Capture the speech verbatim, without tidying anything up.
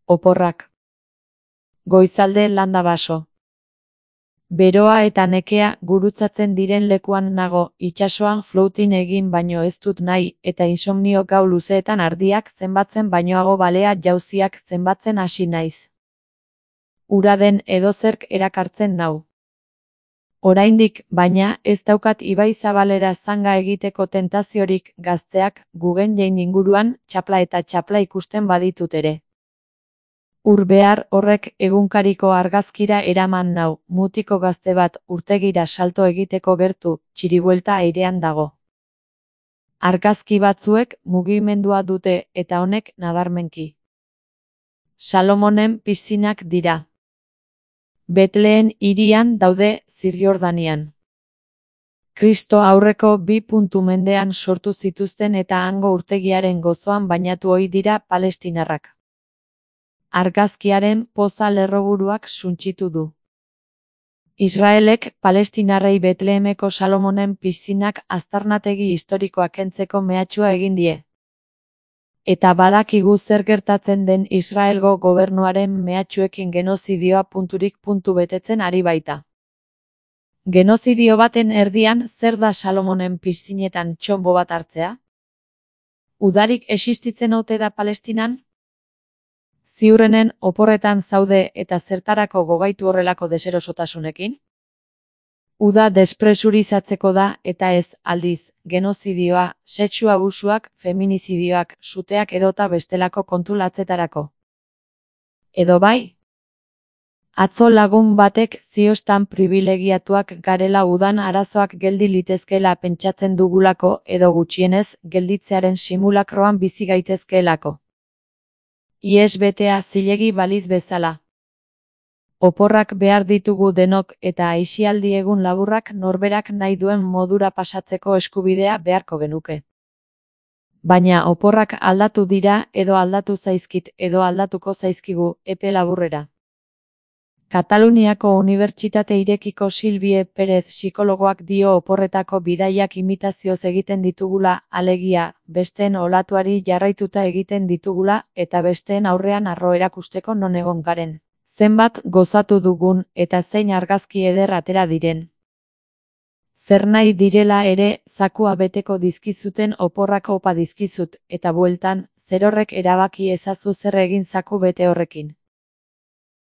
Oporrak. Goizalde landa baso. Beroa eta nekea gurutzatzen diren lekuan nago, itsasoan floating egin baino ez dut nahi, eta insomnio gau luzeetan ardiak zenbatzen bainoago balea jauziak zenbatzen hasi naiz. Ura den edozerk erakartzen nau. Oraindik, baina, ez daukat ibai zabalera zanga egiteko tentaziorik, gazteak, Guggenheim inguruan, txapla eta txapla ikusten baditut ere. Ur behar horrek egunkariko argazkira eraman nau, mutiko gazte bat urtegira salto egiteko gertu, txiribuelta airean dago. Argazki batzuek mugimendua dute eta honek nabarmenki. Salomonen piszinak dira. Betleen hirian daude Zirjordanian. Kristo aurreko bi puntu mendean sortu zituzten eta hango urtegiaren gozoan bainatu ohi dira palestinarrak. Argazkiaren poza lerroburuak suntsitu du. Israelek palestinarrei Betlehemeko Salomonen piszinak aztarnategi historikoa kentzeko mehatxua egin die. Eta badakigu zer gertatzen den Israelgo gobernuaren mehatxuekin genozidioa punturik puntu betetzen ari baita. Genozidio baten erdian zer da Salomonen piszinetan txonbo bat hartzea? Udarik existitzen ote da Palestinan? Ziurrenen oporretan zaude eta zertarako gogaitu horrelako deserosotasunekin? Uda despresurizatzeko da eta ez, aldiz, genozidioa, sexu abusuak, feminizidioak, suteak edota bestelako kontu latzetarako. Edo bai? Atzo lagun batek ziostan pribilegiatuak garela udan arazoak geldi litezkeela pentsatzen dugulako edo gutxienez gelditzearen simulakroan bizi gaitezkeelako. Ies betea zilegi baliz bezala. Oporrak behar ditugu denok eta aisialdi egun laburrak norberak nahi duen modura pasatzeko eskubidea beharko genuke. Baina oporrak aldatu dira edo aldatu zaizkit edo aldatuko zaizkigu epe laburrera. Kataluniako Unibertsitate Irekiko Silvie Perez psikologoak dio oporretako bidaiak imitazioz egiten ditugula, alegia, besteen olatuari jarraituta egiten ditugula, eta besteen aurrean harro erakusteko non egon garen. Zenbat gozatu dugun, eta zein argazki eder atera diren. Zer nahi direla ere, zakua beteko dizkizuten oporrak opa dizkizut, eta bueltan, zer horrek erabaki ezazu zer egin zaku bete horrekin.